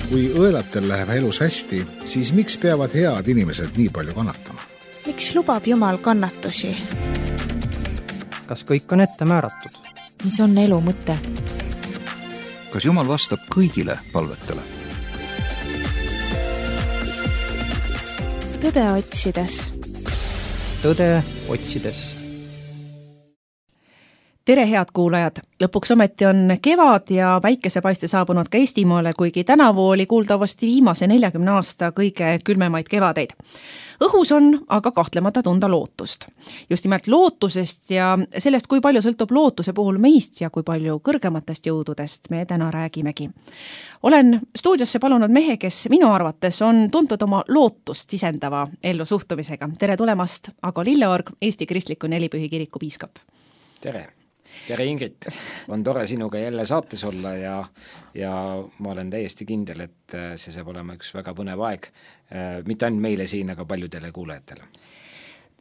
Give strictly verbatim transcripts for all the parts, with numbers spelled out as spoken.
Kui õelatel läheb elus hästi, siis miks peavad head inimesed nii palju kannatama? Miks lubab Jumal kannatusi? Kas kõik on ette määratud? Mis on elu mõte? Kas Jumal vastab kõigile palvetele? Tõde otsides. Tõde otsides. Tere, head kuulajad! Lõpuks ometi on kevad ja päikesepaiste saabunud ka Eestimaale, kuigi tänavu oli kuuldavasti viimase neljakümne aasta kõige külmemaid kevadeid. Õhus on aga kahtlemata tunda lootust. Just nimelt lootusest ja sellest, kui palju sõltub lootuse puhul meist ja kui palju kõrgematest jõududest me täna räägimegi. Olen stuudiosse palunud mehe, kes minu arvates on tuntud oma lootust sisendava ellu suhtumisega. Tere tulemast, Ago Lilleorg, Eesti Kristliku Nelipühi Kiriku piiskop. Tere! Tere Ingrid, on tore sinuga jälle saates olla ja, ja ma olen täiesti kindel, et see saab olema üks väga põnev aeg, mitte ainult meile siin, aga paljudele kuulajatele.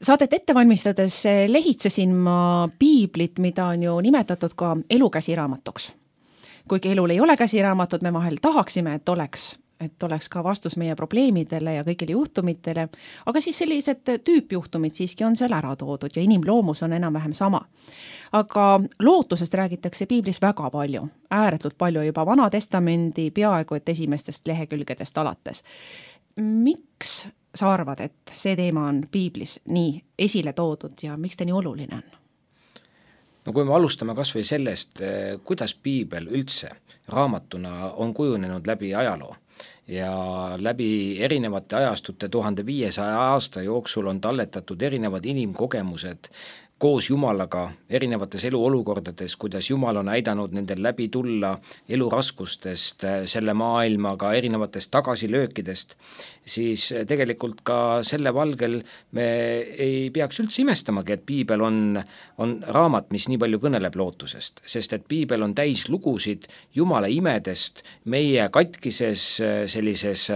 Saadet ette valmistades lehitsesin ma piiblit, mida on ju nimetatud ka elu käsiraamatuks. Kuigi elul ei ole käsiraamatut, me vahel tahaksime, et oleks, et oleks ka vastus meie probleemidele ja kõigile juhtumitele, aga siis sellised tüüpjuhtumid siiski on seal ära toodud ja inimloomus on enam-vähem sama. Aga lootusest räägitakse piiblis väga palju, ääretult palju juba Vana Testamendi peaaegu et esimestest lehekülgedest alates. Miks sa arvad, et see teema on piiblis nii esile toodud ja miks ta nii oluline on? No kui me alustame kas või sellest, kuidas piibel üldse raamatuna on kujunenud läbi ajaloo ja läbi erinevate ajastute tuhande viiesaja aasta jooksul on talletatud erinevad inimkogemused koos Jumalaga erinevates eluolukordades, kuidas Jumal on aidanud nendel läbi tulla eluraskustest, selle maailmaga erinevatest tagasilöökidest, siis tegelikult ka selle valgel me ei peaks üldse imestamagi, et piibel on, on raamat, mis nii palju kõneleb lootusest, sest et piibel on täis lugusid Jumala imedest meie katkises sellises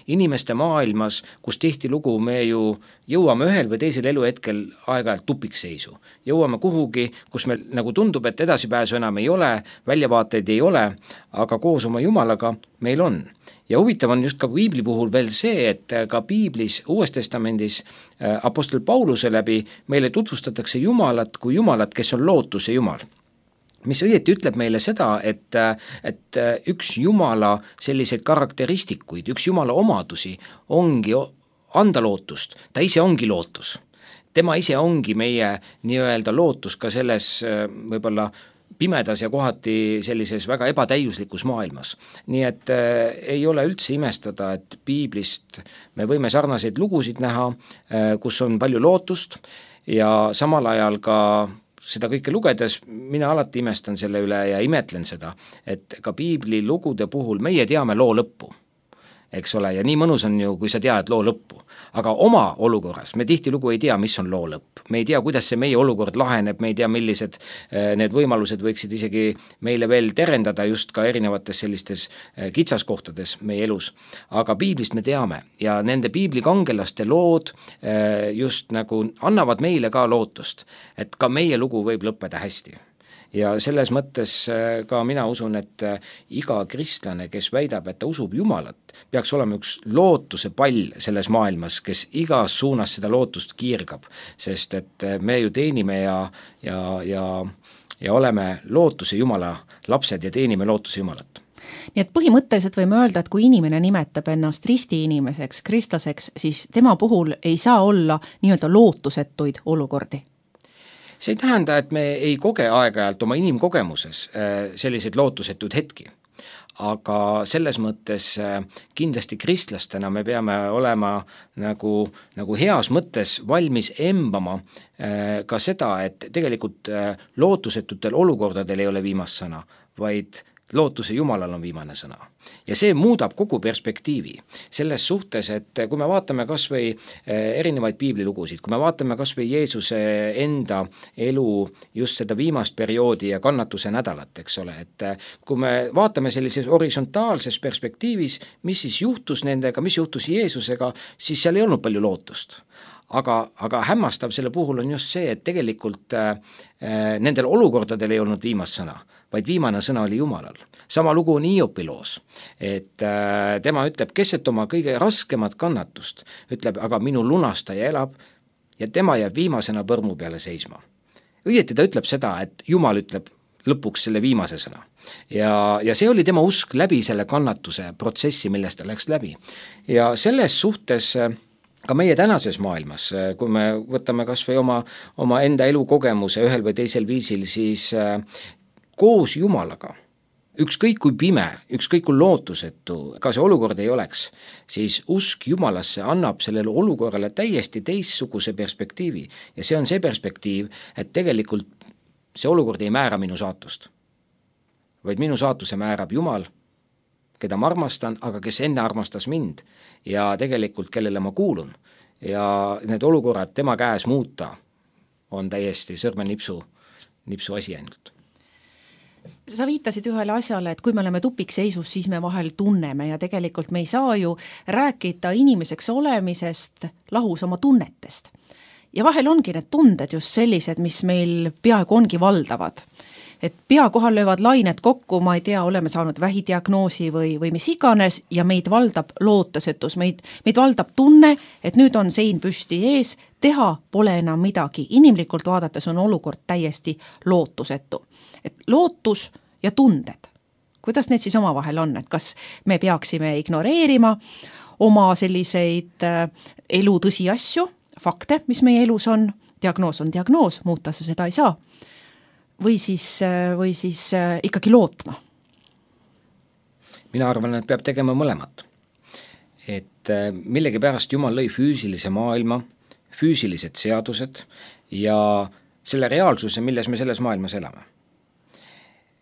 inimeste maailmas, kus tihtilugu me ju jõuame ühel või teisel eluhetkel aeg-ajalt tupikseisu. Jõuame kuhugi, kus meil nagu tundub, et edasipääsu enam ei ole, väljavaateid ei ole, aga koos oma Jumalaga meil on. Ja huvitav on just ka piibli puhul veel see, et ka piiblis Uues Testamendis apostel Pauluse läbi meile tutvustatakse Jumalat kui Jumalat, kes on lootuse Jumal. Mis õieti ütleb meile seda, et, et üks Jumala selliseid karakteristikuid, üks Jumala omadusi ongi anda lootust, ta ise ongi lootus. Tema ise ongi meie nii-öelda lootus ka selles võib-olla pimedas ja kohati sellises väga ebatäiuslikus maailmas. Nii et äh, ei ole üldse imestada, et piiblist me võime sarnaseid lugusid näha, äh, kus on palju lootust ja samal ajal ka seda kõike lugedes mina alati imestan selle üle ja imetlen seda, et ka piibli lugude puhul meie teame loo lõppu. Eks ole, ja nii mõnus on ju, kui sa tead loo lõppu. Aga oma olukorras me tihtilugu ei tea, mis on loo lõpp. Me ei tea, kuidas see meie olukord laheneb, me ei tea, millised need võimalused võiksid isegi meile veel terendada just ka erinevates sellistes kitsaskohtades meie elus. Aga piiblist me teame ja nende piiblikangelaste lood just nagu annavad meile ka lootust, et ka meie lugu võib lõppeda hästi. Ja selles mõttes ka mina usun, et iga kristlane, kes väidab, et ta usub Jumalat, peaks olema üks lootuse pall selles maailmas, kes igas suunas seda lootust kiirgab, sest et me ju teenime ja, ja, ja, ja oleme lootuse Jumala lapsed ja teenime lootuse Jumalat. Nii et põhimõtteliselt võime öelda, et kui inimene nimetab ennast risti inimeseks, kristlaseks, siis tema puhul ei saa olla nii-öelda lootusetuid olukordi. See ei tähenda, et me ei koge aeg-ajalt oma inimkogemuses selliseid lootusetud hetki, aga selles mõttes kindlasti kristlastena me peame olema nagu, nagu heas mõttes valmis embama ka seda, et tegelikult lootusetutel olukordadel ei ole viimast sõna, vaid lootuse Jumalal on viimane sõna. Ja see muudab kogu perspektiivi selles suhtes, et kui me vaatame kas või erinevaid piiblilugusid, kui me vaatame kas või Jeesuse enda elu just seda viimast perioodi ja kannatuse nädalat, eks ole, et kui me vaatame sellises horisontaalses perspektiivis, mis siis juhtus nendega, mis juhtus Jeesusega, siis seal ei olnud palju lootust. Aga, aga hämmastav selle puhul on just see, et tegelikult äh, nendel olukordadel ei olnud viimast sõna, vaid viimane sõna oli Jumalal. Sama lugu on Hiopi loos, et äh, tema ütleb, keset oma kõige raskemat kannatust, ütleb, aga minu lunastaja elab ja tema jääb viimasena põrmu peale seisma. Õieti ta ütleb seda, et Jumal ütleb lõpuks selle viimase sõna. Ja, ja see oli tema usk läbi selle kannatuse protsessi, millest ta läks läbi. Ja selles suhtes ka meie tänases maailmas, kui me võtame kas või oma, oma enda elukogemuse ühel või teisel viisil, siis koos Jumalaga, ükskõik kui pime, ükskõik kui lootusetu, ka see olukord ei oleks, siis usk Jumalasse annab sellele olukorrale täiesti teistsuguse perspektiivi. Ja see on see perspektiiv, et tegelikult see olukord ei määra minu saatust, vaid minu saatuse määrab Jumal, keda ma armastan, aga kes enne armastas mind ja tegelikult kellele ma kuulun. Ja need olukorrad tema käes muuta on täiesti sõrmenipsu nipsu asi ainult. Sa viitasid ühele asjale, et kui me oleme tupikseisus, siis me vahel tunneme ja tegelikult me ei saa ju rääkida inimeseks olemisest lahus oma tunnetest. Ja vahel ongi need tunded just sellised, mis meil peaaegu ongi valdavad. Et pea kohal löövad lained kokku, ma ei tea, oleme saanud vähidiagnoosi või, või mis iganes ja meid valdab lootusetus, meid, meid valdab tunne, et nüüd on sein püsti ees, teha pole enam midagi. Inimlikult vaadates on olukord täiesti lootusetu. Et lootus ja tunded, kuidas need siis omavahel on, et kas me peaksime ignoreerima oma selliseid elu tõsiasju, fakte, mis meie elus on, diagnoos on diagnoos, muuta sa seda ei saa, või siis, või siis ikkagi lootma? Mina arvan, et peab tegema mõlemat. Et millegi pärast Jumal lõi füüsilise maailma, füüsilised seadused ja selle reaalsuse, milles me selles maailmas elame.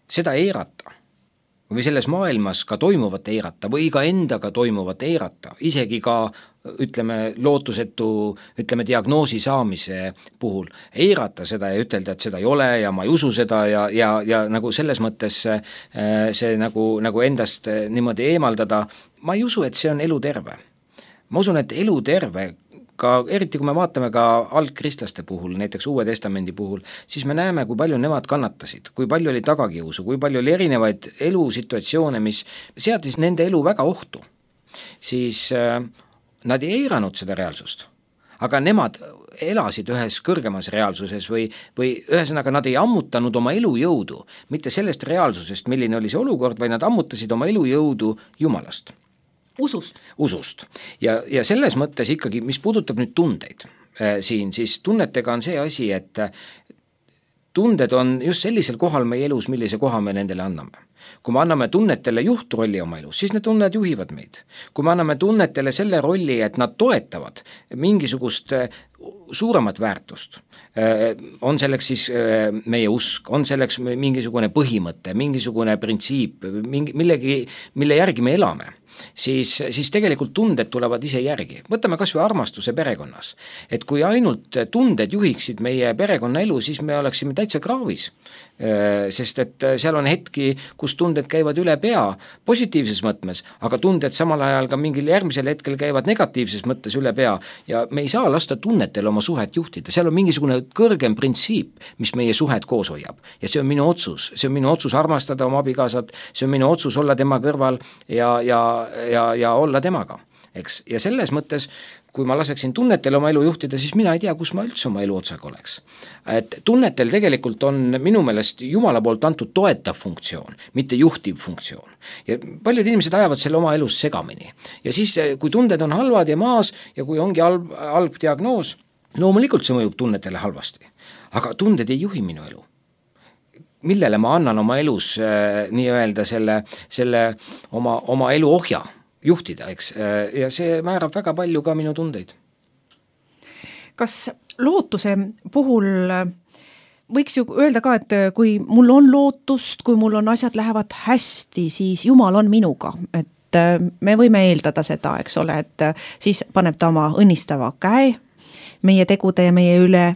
Seda eirata või selles maailmas ka toimuvat eirata või ka endaga toimuvat eirata, isegi ka ütleme lootusetu, ütleme diagnoosi saamise puhul, eirata seda ja ütelda, et seda ei ole ja ma ei usu seda ja, ja, ja nagu selles mõttes see nagu, nagu endast niimoodi eemaldada, ma ei usu, et see on eluterve. Ma usun, et eluterve, ka eriti kui me vaatame ka algkristlaste puhul, näiteks Uue Testamendi puhul, siis me näeme, kui palju nemad kannatasid, kui palju oli tagakiusu, kui palju oli erinevaid elusituatsioone, mis seadis nende elu väga ohtu. Siis äh, nad ei eiranud seda reaalsust, aga nemad elasid ühes kõrgemas reaalsuses või, või ühesõnaga nad ei ammutanud oma elujõudu, mitte sellest reaalsusest, milline oli see olukord, vaid nad ammutasid oma elujõudu Jumalast. Usust. Usust. Ja, ja selles mõttes ikkagi, mis puudutab nüüd tundeid äh, siin, siis tunnetega on see asi, et tunded on just sellisel kohal meie elus, millise koha me nendele anname. Kui me anname tunnetele juhtrolli oma elus, siis need tunned juhivad meid. Kui me anname tunnetele selle rolli, et nad toetavad mingisugust suuremat väärtust, on selleks siis meie usk, on selleks mingisugune põhimõte, mingisugune printsiip, mingi, millegi, mille järgi me elame, siis, siis tegelikult tunded tulevad ise järgi. Võtame kas või armastuse perekonnas. Et kui ainult tunded juhiksid meie perekonna elu, siis me oleksime täitsa kraavis. Sest et seal on hetki, kus tunded käivad üle pea positiivses mõtmes, aga tunded samal ajal ka mingil järgmisel hetkel käivad negatiivses mõttes üle pea ja me ei saa lasta tunnetel oma suhet juhtida. Seal on mingisugune kõrgem printsiip, mis meie suhet koos hoiab ja see on minu otsus, see on minu otsus armastada oma abikaasat, see on minu otsus olla tema kõrval ja, ja, ja, ja olla temaga. Eks? Ja selles mõttes, kui ma laseksin tunnetel oma elu juhtida, siis mina ei tea, kus ma üldse oma elu otsaga oleks. Et tunnetel tegelikult on minu meelest Jumala poolt antud toetav funktsioon, mitte juhtiv funktsioon. Ja paljud inimesed ajavad selle oma elus segamini. Ja siis, kui tunded on halvad ja maas ja kui ongi halb, halb diagnoos, loomulikult see mõjub tunnetele halvasti. Aga tunded ei juhi minu elu. Millele ma annan oma elus äh, nii-öelda selle, selle oma, oma elu ohja juhtida, eks, ja see määrab väga palju ka minu tundeid. Kas lootuse puhul võiks ju öelda ka, et kui mul on lootust, kui mul on asjad lähevad hästi, siis Jumal on minuga, et me võime eeldada seda, eks ole, et siis paneb ta oma õnnistava käe meie tegude ja meie üle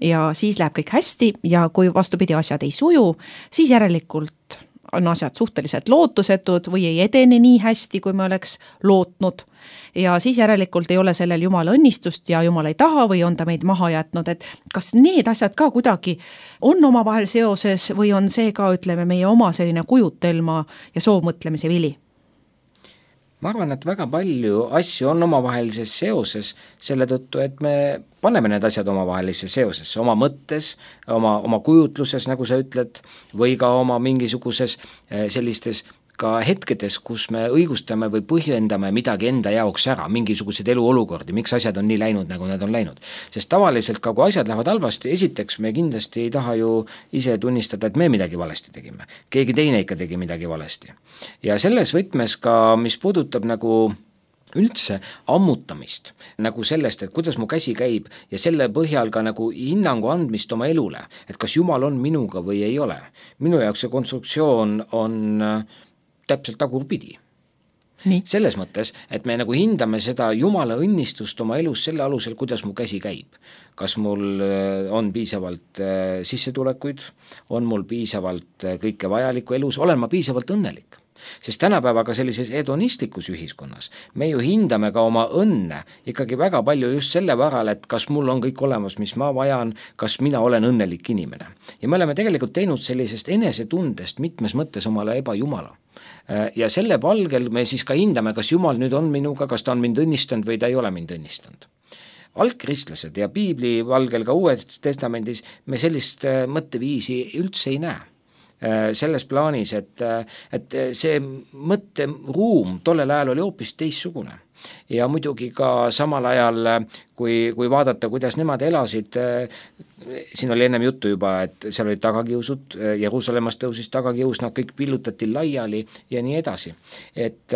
ja siis läheb kõik hästi ja kui vastupidi asjad ei suju, siis järelikult on asjad suhteliselt lootusetud või ei edene nii hästi, kui me oleks lootnud. Ja siis järelikult ei ole sellel Jumala õnnistust ja Jumal ei taha või on ta meid maha jätnud, et kas need asjad ka kuidagi on omavahel seoses või on see ka, ütleme, meie oma selline kujutelma ja soovmõtlemise vili? Ma arvan, et väga palju asju on omavahelises seoses selle tõttu, et me paneme need asjad omavahelisse seosesse, oma mõttes, oma, oma kujutluses, nagu sa ütled, või ka oma mingisuguses sellistes ka hetkedes, kus me õigustame või põhjendame midagi enda jaoks ära, mingisuguseid eluolukordi, miks asjad on nii läinud, nagu nad on läinud. Sest tavaliselt ka, kui asjad lähevad halvasti, esiteks me kindlasti ei taha ju ise tunnistada, et me midagi valesti tegime. Keegi teine ikka tegi midagi valesti. Ja selles võtmes ka, mis puudutab nagu üldse ammutamist, nagu sellest, et kuidas mu käsi käib ja selle põhjal ka nagu hinnangu andmist oma elule, et kas Jumal on minuga või ei ole. Minu jaoks see konstruktsioon on täpselt tagurpidi. Nii. Selles mõttes, et me nagu hindame seda Jumala õnnistust oma elus selle alusel, kuidas mu käsi käib. Kas mul on piisavalt sissetulekuid, on mul piisavalt kõike vajalikku elus, olen ma piisavalt õnnelik. Sest tänapäevaga sellises hedonistlikus ühiskonnas me ju hindame ka oma õnne ikkagi väga palju just selle varal, et kas mul on kõik olemas, mis ma vajan, kas mina olen õnnelik inimene. Ja me oleme tegelikult teinud sellisest enesetundest mitmes mõttes omale ebajumala. Ja selle palgel me siis ka hindame, kas Jumal nüüd on minuga, kas ta on mind õnnistanud või ta ei ole mind õnnistanud. Algkristlased ja piibli valgel ka Uues testamendis me sellist mõtteviisi üldse ei näe. Selles plaanis, et, et see mõtteruum tollel ajal oli hoopis teissugune. Ja muidugi ka samal ajal, kui, kui vaadata, kuidas nemad elasid, siin oli ennem juttu juba, et seal olid tagakiusud, Jeruusalemmas tõusis tagakius, nad kõik pillutati laiali ja nii edasi. Et,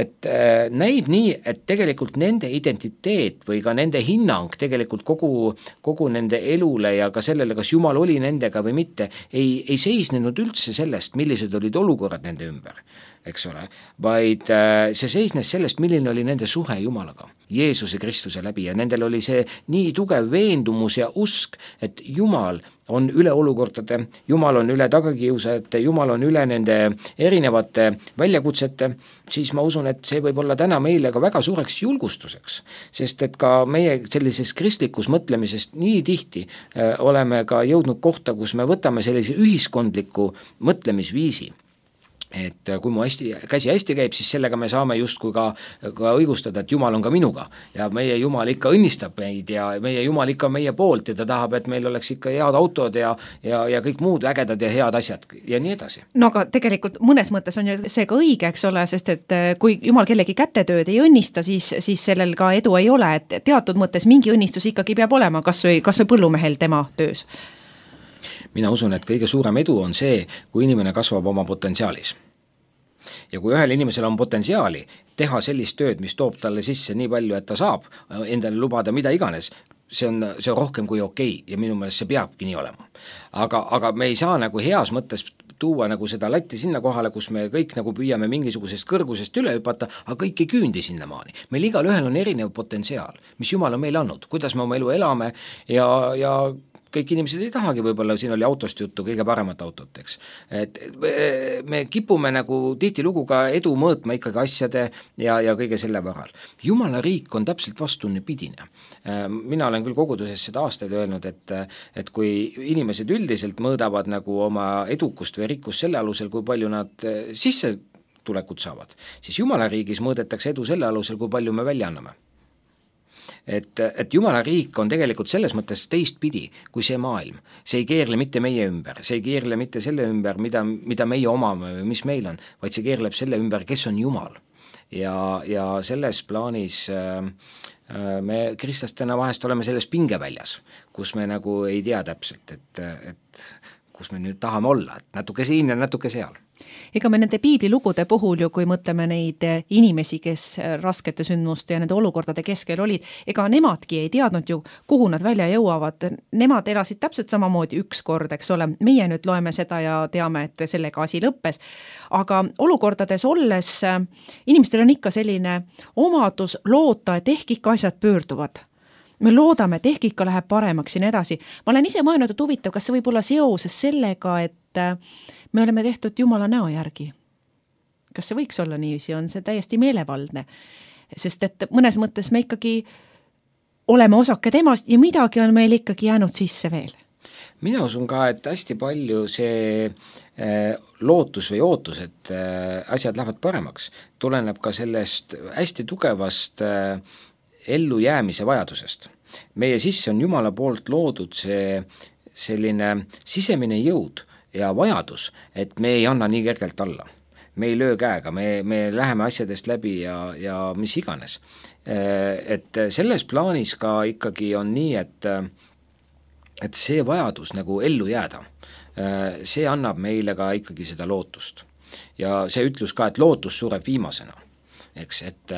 et näib nii, et tegelikult nende identiteet või ka nende hinnang tegelikult kogu, kogu nende elule ja ka sellele, kas Jumal oli nendega või mitte, ei, ei seisnenud üldse sellest, millised olid olukorrad nende ümber, eks ole, vaid see seisnes sellest, milline oli nende suhe Jumalaga, Jeesuse Kristuse läbi ja nendel oli see nii tugev veendumus ja usk, et Jumal on üle olukordade, Jumal on üle tagakiusajate, Jumal on üle nende erinevate väljakutsete, siis ma usun, et see võib olla täna meile ka väga suureks julgustuseks, sest et ka meie sellises kristlikus mõtlemisest nii tihti äh, oleme ka jõudnud kohta, kus me võtame sellise ühiskondliku mõtlemisviisi. Et kui mu hästi, käsi hästi käib, siis sellega me saame justkui ka, ka õigustada, et Jumal on ka minuga ja meie Jumal ikka õnnistab meid ja meie Jumal ikka on meie poolt ja ta tahab, et meil oleks ikka head autod ja, ja, ja kõik muud ägedad ja head asjad ja nii edasi. No aga tegelikult mõnes mõttes on ju see ka õige, eks ole, sest et kui Jumal kellegi kätetööd ei õnnista, siis, siis sellel ka edu ei ole, et teatud mõttes mingi õnnistus ikkagi peab olema, kas või, kas või põllumehel tema töös. Mina usun, et kõige suurem edu on see, kui inimene kasvab oma potentsiaalis. Ja kui ühel inimesel on potentsiaali teha sellist tööd, mis toob talle sisse nii palju, et ta saab endale lubada mida iganes, see on, see on rohkem kui okei ja minu meelest see peabki nii olema. Aga, aga me ei saa nagu heas mõttes tuua nagu seda latti sinna kohale, kus me kõik nagu püüame mingisugusest kõrgusest üle hüpata, aga kõik ei küündi sinna maani. Meil igal ühel on erinev potentsiaal, mis Jumal on meile andnud, kuidas me oma elu elame ja, ja kõik inimesed ei tahagi, võib-olla siin oli autost juttu, kõige paremat autot, eks. Et me kipume nagu tihtilugu ka edu mõõtma ikkagi asjade ja, ja kõige selle varal. Jumala riik on täpselt vastunnipidine. Mina olen küll koguduses seda aastaid öelnud, et, et kui inimesed üldiselt mõõdavad nagu oma edukust või rikkust selle alusel, kui palju nad sisse tulekut saavad, siis Jumala riigis mõõdetakse edu selle alusel, kui palju me välja anname. Et, et Jumala riik on tegelikult selles mõttes teistpidi kui see maailm. See ei keerle mitte meie ümber, see ei keerle mitte selle ümber, mida, mida meie omame või mis meil on, vaid see keerleb selle ümber, kes on Jumal. Ja, ja selles plaanis äh, me kristlastena vahest oleme selles pingeväljas, kus me nagu ei tea täpselt, et, et kus me nüüd tahame olla, et natuke siin ja natuke seal. Ega me nende piiblilugude puhul ju, kui mõtleme neid inimesi, kes raskete sündmuste ja nende olukordade keskel olid, ega nemadki ei teadnud ju, kuhu nad välja jõuavad. Nemad elasid täpselt samamoodi üks kord, eks ole. Meie nüüd loeme seda ja teame, et sellega asi lõppes. Aga olukordades olles inimestel on ikka selline omadus loota, et ehk ikka asjad pöörduvad. Me loodame, et ehk ikka läheb paremaks siin edasi. Ma olen ise mõelnud, et huvitav, kas see võib olla seoses sellega, et me oleme tehtud Jumala näo järgi. Kas see võiks olla niiviisi, on see täiesti meelevaldne, sest et mõnes mõttes me ikkagi oleme osake temast ja midagi on meil ikkagi jäänud sisse veel. Mina usun ka, et hästi palju see äh, lootus või ootus, et äh, asjad lähevad paremaks, tuleneb ka sellest hästi tugevast äh, ellujäämise vajadusest. Meie sisse on Jumala poolt loodud see selline sisemine jõud ja vajadus, et me ei anna nii kergelt alla. Me ei löö käega, me, me läheme asjadest läbi ja, ja mis iganes. Et selles plaanis ka ikkagi on nii, et et see vajadus nagu ellu jääda, see annab meile ka ikkagi seda lootust. Ja see ütlus ka, et lootus sureb viimasena. Eks, et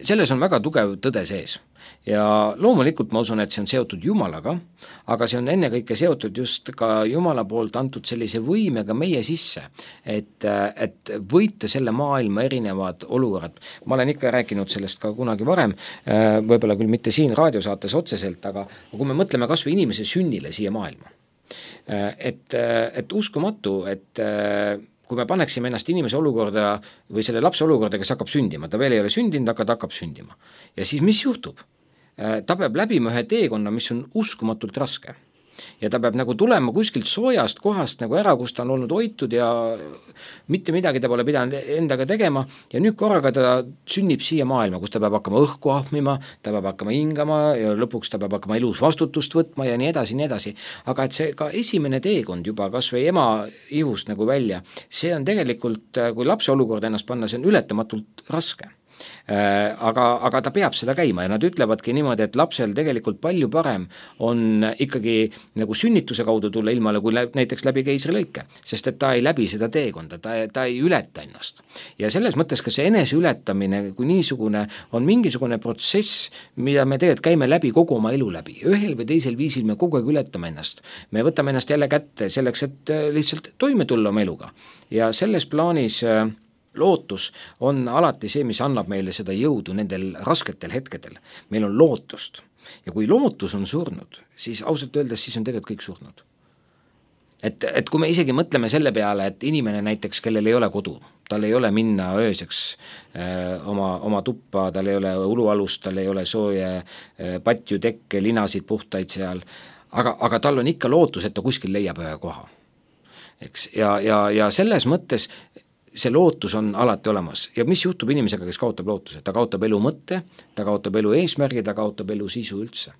selles on väga tugev tõde sees. Ja loomulikult ma usun, et see on seotud Jumalaga, aga see on ennekõike seotud just ka Jumala poolt antud sellise võimega meie sisse, et, et võita selle maailma erinevad olukorrad. Ma olen ikka rääkinud sellest ka kunagi varem, võib-olla küll mitte siin raadiosaates otseselt, aga kui me mõtleme kas või inimese sünnile siia maailma, et, et uskumatu, et kui me paneksime ennast inimese olukorda või selle lapse olukorda, kes hakkab sündima, ta veel ei ole sündinud, aga ta hakkab sündima. Ja siis mis juhtub? Ta peab läbima ühe teekonna, mis on uskumatult raske. Ja ta peab nagu tulema kuskilt soojast kohast nagu ära, kus ta on olnud hoitud ja mitte midagi ta pole pidanud endaga tegema ja nüüd korraga ta sünnib siia maailma, kus ta peab hakkama õhku ahmima, ta peab hakkama hingama ja lõpuks ta peab hakkama elus vastutust võtma ja nii edasi, nii edasi. Aga et see ka esimene teekond juba kas või ema ihust nagu välja, see on tegelikult, kui lapse olukord ennast panna, see on ületamatult raske. Aga, aga ta peab seda käima ja nad ütlevadki niimoodi, et lapsel tegelikult palju parem on ikkagi nagu sünnituse kaudu tulla ilmale kui näiteks läbi keisrilõike, sest et ta ei läbi seda teekonda, ta, ta ei ületa ennast. Ja selles mõttes ka see enese ületamine kui niisugune on mingisugune protsess, mida me tegelikult käime läbi kogu oma elu läbi. Ühel või teisel viisil me kogu aeg ületame ennast. Me võtame ennast jälle kätte selleks, et lihtsalt toime tulla oma eluga. Ja selles plaanis lootus on alati see, mis annab meile seda jõudu nendel rasketel hetkedel. Meil on lootust. Ja kui lootus on surnud, siis ausalt öeldes siis on tegelikult kõik surnud. Et, et kui me isegi mõtleme selle peale, et inimene näiteks, kellel ei ole kodu, tal ei ole minna ööseks äh, oma, oma tuppa, tal ei ole ulualust, tal ei ole sooje äh, patju, tekke, linasid puhtaid seal, aga, aga tal on ikka lootus, et ta kuskil leiab ühe koha. Eks? Ja, ja, ja selles mõttes see lootus on alati olemas. Ja mis juhtub inimesega, kes kaotab lootuse? Ta kaotab elu mõtte, ta kaotab elu eesmärgi, ta kaotab elu sisu üldse.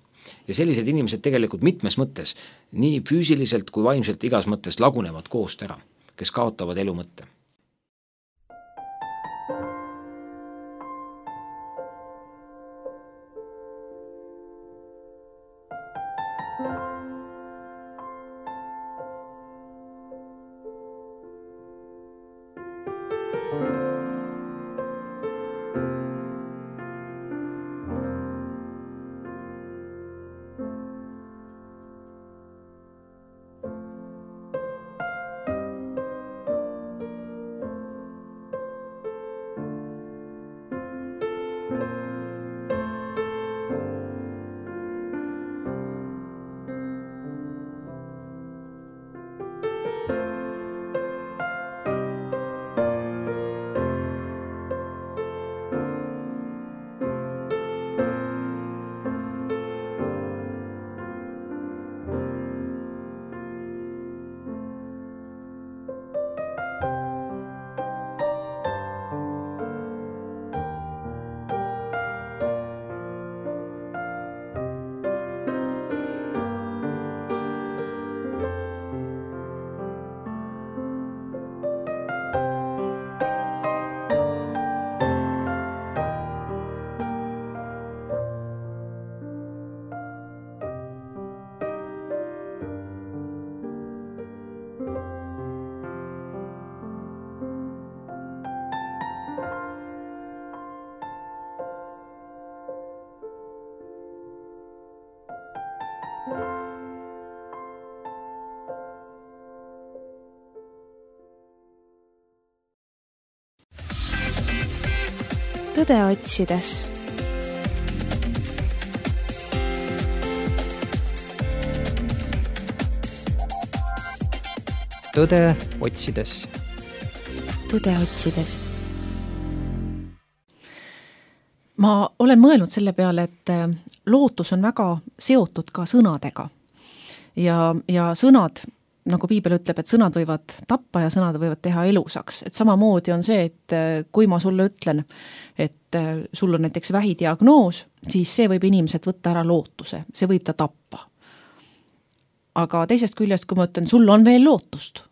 Ja sellised inimesed tegelikult mitmes mõttes, nii füüsiliselt kui vaimselt igas mõttes lagunevad koost ära, kes kaotavad elu mõtte. Tõde otsides. tõde otsides. tõde otsides. ma olen mõelnud selle peale, et lootus on väga seotud ka sõnadega. Ja, ja sõnad, nagu piibel ütleb, et sõnad võivad tappa ja sõnad võivad teha elusaks. Et samamoodi on see, et kui ma sulle ütlen, et sul on näiteks vähidiagnoos, siis see võib inimesed võtta ära lootuse, see võib ta tappa. Aga teisest küljest, kui ma ütlen, sul on veel lootust,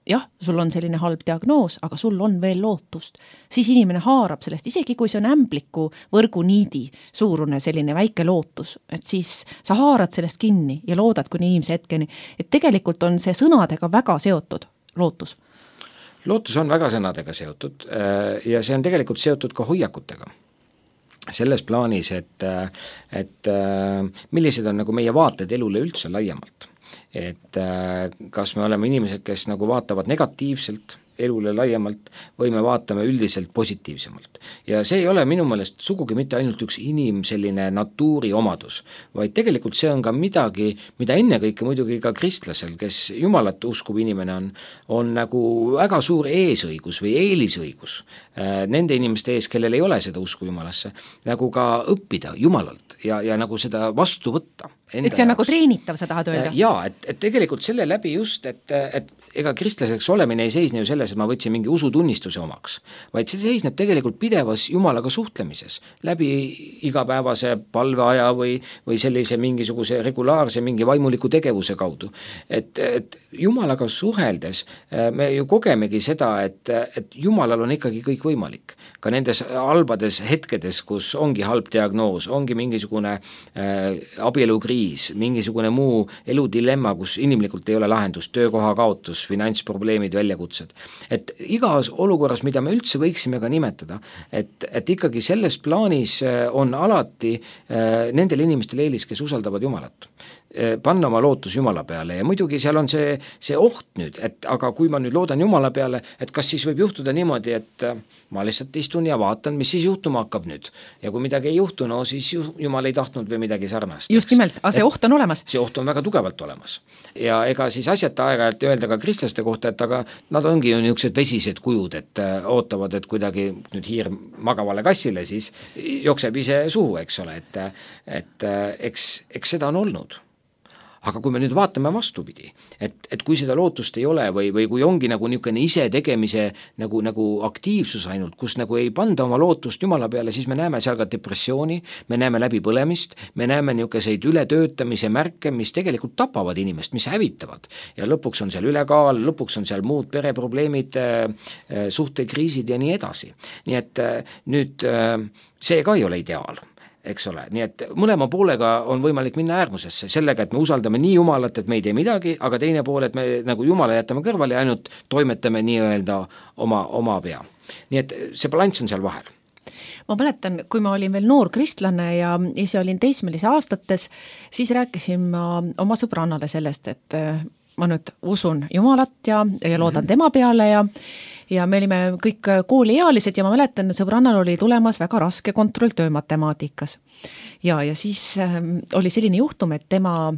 jah, sul on selline halb diagnoos, aga sul on veel lootust, siis inimene haarab sellest, isegi kui see on ämbliku võrguniidi suurune selline väike lootus, et siis sa haarad sellest kinni ja loodad kuni inimese hetkeni, et tegelikult on see sõnadega väga seotud lootus. Lootus on väga sõnadega seotud ja see on tegelikult seotud ka hoiakutega. Selles plaanis, et, et millised on nagu meie vaated elule üldse laiemalt. Et kas me oleme inimesed, kes nagu vaatavad negatiivselt elule laiemalt või me vaatame üldiselt positiivsemalt. Ja see ei ole minu meelest sugugi mitte ainult üks inim selline natuuri omadus, vaid tegelikult see on ka midagi, mida ennekõike muidugi ka kristlasel, kes Jumalat uskub inimene on, on nagu väga suur eesõigus või eelisõigus nende inimeste ees, kellel ei ole seda usku Jumalasse, nagu ka õppida Jumalalt ja, ja nagu seda vastu võtta. Et see on jaoks. Nagu treenitav, sa tahad öelda? Jaa, et, et tegelikult selle läbi just, et, et ega kristlaseks olemine ei seisne ju selles, et ma võtsin mingi usutunnistuse omaks, vaid see seisneb tegelikult pidevas Jumalaga suhtlemises, läbi igapäevase palveaja või, või sellise mingisuguse regulaarse mingi vaimuliku tegevuse kaudu. Et, et Jumalaga suheldes me ju kogemegi seda, et, et Jumalal on ikkagi kõik võimalik. Ka nendes halbades hetkedes, kus ongi halb diagnoos, ongi mingisugune äh, abielukriis, mingisugune muu eludilemma, kus inimlikult ei ole lahendust, töökoha kaotus, finantsprobleemid, väljakutsed. Et igas olukorras, mida me üldse võiksime ka nimetada, et, et ikkagi selles plaanis on alati äh, nendel inimestel eelis, kes usaldavad Jumalat. Panna oma lootus Jumala peale ja muidugi seal on see, see oht nüüd, et aga kui ma nüüd loodan Jumala peale, et kas siis võib juhtuda niimoodi, et ma lihtsalt istun ja vaatan, mis siis juhtuma hakkab nüüd. Ja kui midagi ei juhtu, no siis Jumal ei tahtnud või midagi sarnast. Just nimelt, aga see oht on olemas. See oht on väga tugevalt olemas. Ja ega siis asjata aega-ajalt öelda ka kristlaste kohta, et aga nad ongi ju niisugused vesised kujud, et ootavad, et kuidagi nüüd hiir magavale kassile siis jookseb ise suhu, eks ole, et, et eks, eks seda on olnud. Aga kui me nüüd vaatame vastupidi, et, et kui seda lootust ei ole või, või kui ongi nagu niisugune ise tegemise nagu, nagu aktiivsus ainult, kus nagu ei panda oma lootust Jumala peale, siis me näeme seal ka depressiooni, me näeme läbipõlemist, me näeme niisuguseid ületöötamise märke, mis tegelikult tapavad inimest, mis hävitavad. Ja lõpuks on seal ülekaal, lõpuks on seal muud pereprobleemid, suhtekriisid ja nii edasi. Nii et nüüd see ka ei ole ideaal. Eks ole, nii et mõlema poolega on võimalik minna äärmusesse sellega, et me usaldame nii Jumalat, et me ei tee midagi, aga teine pool, et me nagu Jumala jätame kõrvale ja ainult toimetame nii-öelda oma, oma pea. Nii et see balanss on seal vahel. Ma mäletan, kui ma olin veel noor kristlane ja ise olin teismelise aastates, siis rääkisin ma oma sõbrannale sellest, et ma nüüd usun Jumalat ja, ja loodan tema peale ja ja me olime kõik kooliealised ja ma mäletan, sõbrannal oli tulemas väga raske kontrolltöö matemaatikas. Ja, ja siis äh, oli selline juhtum, et tema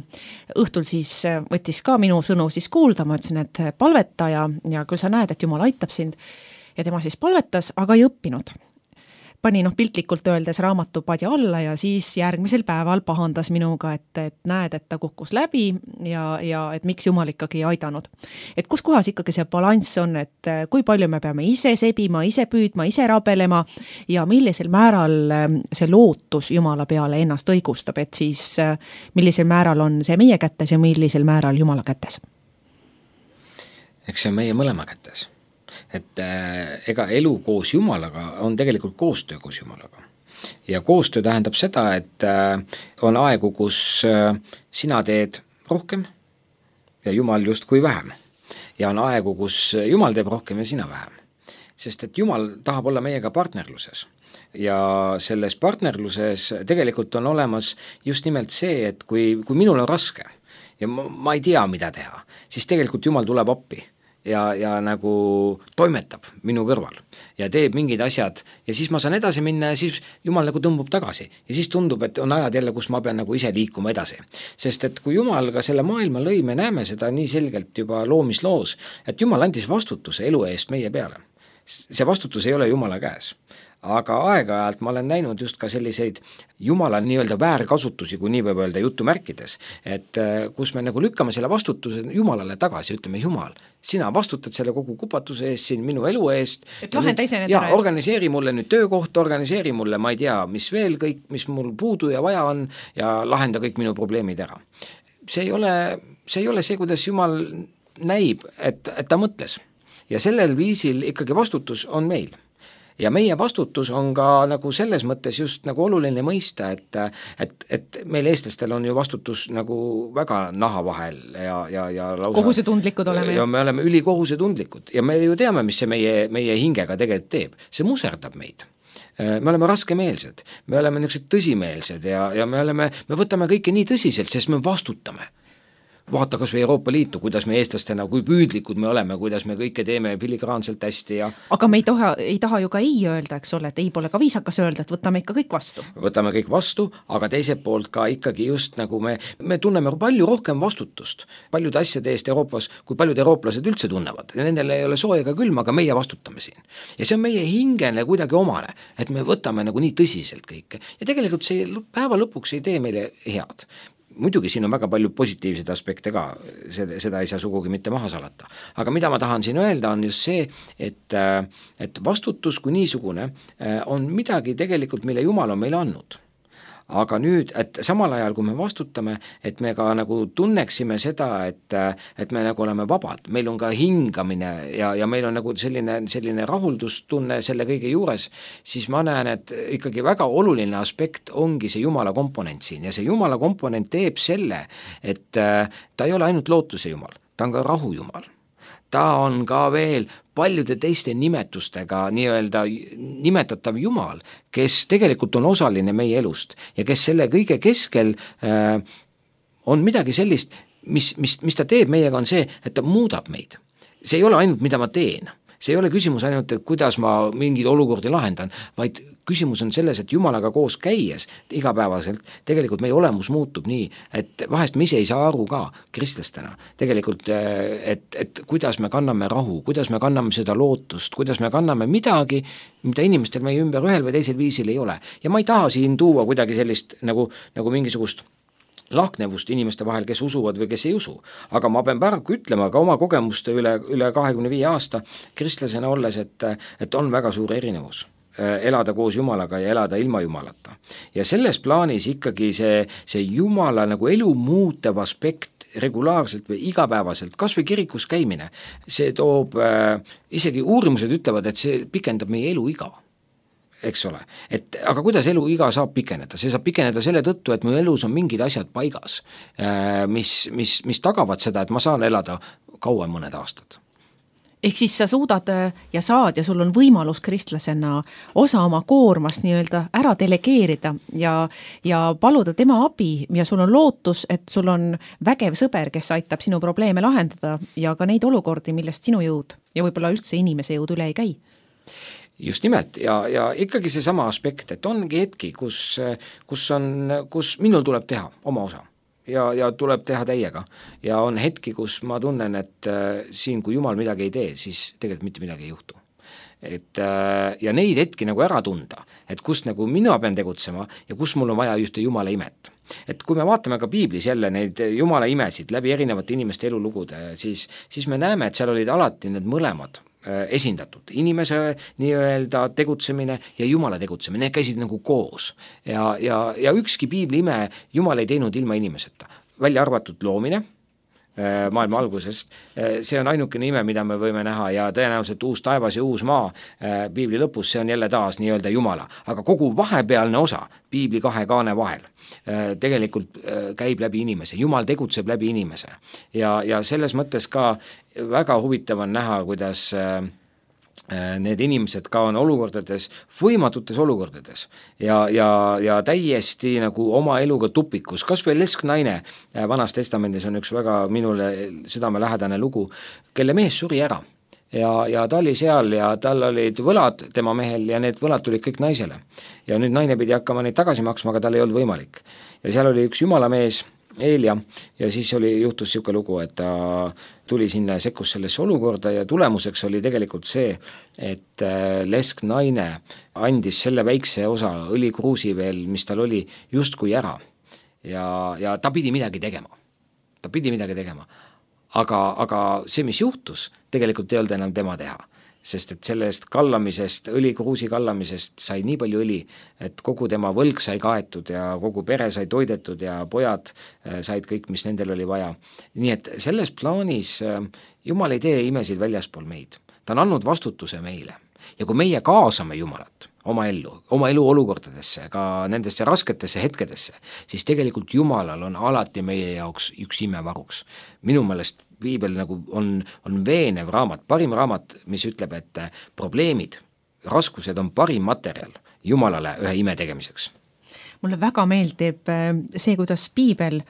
õhtul siis võttis ka minu sõnu siis kuulda, ma ütlesin, et palveta ja, ja küll sa näed, et Jumal aitab sind. Ja tema siis palvetas, aga ei õppinud. Pani noh piltlikult öeldes raamatu padja alla ja siis järgmisel päeval pahandas minuga, et, et näed, et ta kukkus läbi ja, ja et miks Jumal ikkagi ei aidanud. Et kus kohas ikkagi see balanss on, et kui palju me peame ise sebima, ise püüdma, ise rabelema ja millisel määral see lootus Jumala peale ennast õigustab, et siis millisel määral on see meie kätes ja millisel määral Jumala kätes? Eks see on meie mõlema kätes. Et äh, ega elu koos Jumalaga on tegelikult koostöö koos Jumalaga. Ja koostöö tähendab seda, et äh, on aegu, kus äh, sina teed rohkem ja Jumal justkui vähem. Ja on aegu, kus Jumal teeb rohkem ja sina vähem. Sest et Jumal tahab olla meiega partnerluses. Ja selles partnerluses tegelikult on olemas just nimelt see, et kui, kui minul on raske ja ma, ma ei tea, mida teha, siis tegelikult Jumal tuleb appi. ja, ja nagu toimetab minu kõrval ja teeb mingid asjad ja siis ma saan edasi minna ja siis Jumal nagu tõmbub tagasi ja siis tundub, et on ajad jälle, kus ma pean nagu ise liikuma edasi. Sest et kui Jumal ka selle maailma lõi, me näeme seda nii selgelt juba loomisloos, et Jumal andis vastutuse elu eest meie peale. See vastutus ei ole Jumala käes. Aga aeg-ajalt ma olen näinud just ka selliseid Jumala nii-öelda väärkasutusi, kui nii võib öelda jutumärkides, et kus me nagu lükkame selle vastutuse Jumalale tagasi, ütleme Jumal, sina vastutad selle kogu kupatuse eest siin minu elu eest. Et lahenda ise need ja ära. Organiseeri mulle nüüd töökoht, organiseeri mulle, ma ei tea, mis veel kõik, mis mul puudu ja vaja on ja lahenda kõik minu probleemid ära. See ei ole see, ei ole see kuidas Jumal näib, et, et ta mõtles. Ja sellel viisil ikkagi vastutus on meil. Ja meie vastutus on ka nagu selles mõttes just nagu oluline mõista, et, et, et meil eestlastel on ju vastutus nagu väga naha vahel ja, ja, ja lausa kohusetundlikud oleme. Ja me oleme ülikohusetundlikud ja me ju teame, mis see meie, meie hingega tegelikult teeb. See muserdab meid. Me oleme raskemeelsed, me oleme niisugused tõsimeelsed ja, ja me, oleme, me võtame kõike nii tõsiselt, sest me vastutame. Vaata kas või Euroopa Liitu, kuidas me eestlastena, kui püüdlikud me oleme, kuidas me kõike teeme filigraanselt hästi ja aga me ei taha, ei taha ju ka ei öelda, eks ole, et ei pole ka viisakas öelda, et võtame ikka kõik vastu. Võtame kõik vastu, aga teiselt poolt ka ikkagi just nagu me, me tunneme palju rohkem vastutust paljude asjade eest Euroopas, kui paljud eurooplased üldse tunnevad. Ja nendel ei ole soo ega külm, aga meie vastutame siin. Ja see on meie hingene kuidagi omane, et me võtame nagu nii tõsiselt kõike. Ja tegelikult see päeva lõpuks ei tee meile head. Muidugi siin on väga palju positiivseid aspekte ka, seda ei saa sugugi mitte maha salata. Aga mida ma tahan siin öelda on just see, et, et vastutus kui niisugune on midagi tegelikult, mille Jumal on meile andnud. Aga nüüd, et samal ajal, kui me vastutame, et me ka nagu tunneksime seda, et, et me nagu oleme vabad, meil on ka hingamine ja, ja meil on nagu selline, selline rahuldustunne selle kõige juures, siis ma näen, et ikkagi väga oluline aspekt ongi see Jumala komponent siin ja see Jumala komponent teeb selle, et ta ei ole ainult lootuse Jumal, ta on ka rahu Jumal. Ta on ka veel paljude teiste nimetustega nii-öelda nimetatav Jumal, kes tegelikult on osaline meie elust ja kes selle kõige keskel äh, on midagi sellist, mis, mis, mis ta teeb meiega on see, et ta muudab meid. See ei ole ainult, mida ma teen. See ei ole küsimus ainult, et kuidas ma mingeid olukordi lahendan, vaid küsimus on selles, et Jumalaga koos käies igapäevaselt tegelikult meie olemus muutub nii, et vahest me ise ei saa aru ka kristlastena tegelikult, et, et kuidas me kanname rahu, kuidas me kanname seda lootust, kuidas me kanname midagi, mida inimestel meie ümber ühel või teisel viisil ei ole. Ja ma ei taha siin tuua kuidagi sellist nagu, nagu mingisugust lahknevust inimeste vahel, kes usuvad või kes ei usu. Aga ma pean paraku ütlema ka oma kogemuste üle, üle kahekümne viie aasta kristlasena olles, et, et on väga suur erinevus elada koos Jumalaga ja elada ilma Jumalata. Ja selles plaanis ikkagi see, see Jumala nagu elu muutev aspekt regulaarselt või igapäevaselt, kas või kirikus käimine, see toob, äh, isegi uurimused ütlevad, et see pikendab meie elu iga. Eks ole, et aga kuidas elu iga saab pikeneda? See saab pikeneda selle tõttu, et mu elus on mingid asjad paigas, mis, mis, mis tagavad seda, et ma saan elada kauem mõned aastad. Ehk siis sa suudad ja saad ja sul on võimalus kristlasena osa oma koormast nii-öelda ära delegeerida ja, ja paluda tema abi ja sul on lootus, et sul on vägev sõber, kes aitab sinu probleeme lahendada ja ka neid olukordi, millest sinu jõud ja võib-olla üldse inimese jõud üle ei käi. Just nimelt ja, ja ikkagi see sama aspekt, et ongi hetki, kus, kus, on, kus minul tuleb teha oma osa ja, ja tuleb teha täiega ja on hetki, kus ma tunnen, et äh, siin kui Jumal midagi ei tee, siis tegelikult mitte midagi ei juhtu. Et, äh, ja neid hetki nagu ära tunda, et kus nagu mina pean tegutsema ja kus mul on vaja just Jumala imet. Et kui me vaatame ka piiblis jälle neid Jumala imesid läbi erinevate inimeste elulugude, siis, siis me näeme, et seal olid alati need mõlemad esindatud, inimese nii-öelda tegutsemine ja Jumala tegutsemine, need käisid nagu koos ja, ja, ja ükski piibli ime Jumal ei teinud ilma inimeseta, välja arvatud loomine maailma algusest, see on ainukene ime, mida me võime näha ja tõenäoliselt uus taevas ja uus maa piibli lõpus, see on jälle taas nii-öelda Jumala, aga kogu vahepealne osa piibli kahe kaane vahel tegelikult käib läbi inimese, Jumal tegutseb läbi inimese ja, ja selles mõttes ka väga huvitav on näha, kuidas need inimesed ka on olukordades, võimatutes olukordades ja, ja, ja täiesti nagu oma eluga tupikus, kas või lesknaine Vanas Testamendis on üks väga minule südamelähedane lugu, kelle mees suri ära ja, ja ta oli seal ja tal olid võlad tema mehel ja need võlad tulid kõik naisele ja nüüd naine pidi hakkama neid tagasi maksma, aga tal ei olnud võimalik ja seal oli üks jumala mees Eelia ja siis oli, juhtus siuke lugu, et ta tuli sinna ja sekkus sellesse olukorda ja tulemuseks oli tegelikult see, et lesknaine andis selle väikse osa õlikruusi veel, mis tal oli, justkui ära ja, ja ta pidi midagi tegema. Ta pidi midagi tegema. Aga, aga see, mis juhtus, tegelikult ei olnud enam tema teha. Sest et sellest kallamisest, õlikruusi kallamisest sai nii palju õli, et kogu tema võlg sai kaetud ja kogu pere sai toidetud ja pojad said kõik, mis nendel oli vaja. Nii et selles plaanis Jumal ei tee imesid väljaspool meid. Ta on andnud vastutuse meile. Ja kui meie kaasame Jumalat oma ellu, oma elu olukordadesse, ka nendesse rasketesse hetkedesse, siis tegelikult Jumalal on alati meie jaoks üks imevaruks. Minu meelest Piibel nagu on, on veenev raamat, parim raamat, mis ütleb, et probleemid, raskused on parim materjal Jumalale ühe ime tegemiseks. Mulle väga meeldib see, kuidas Piibel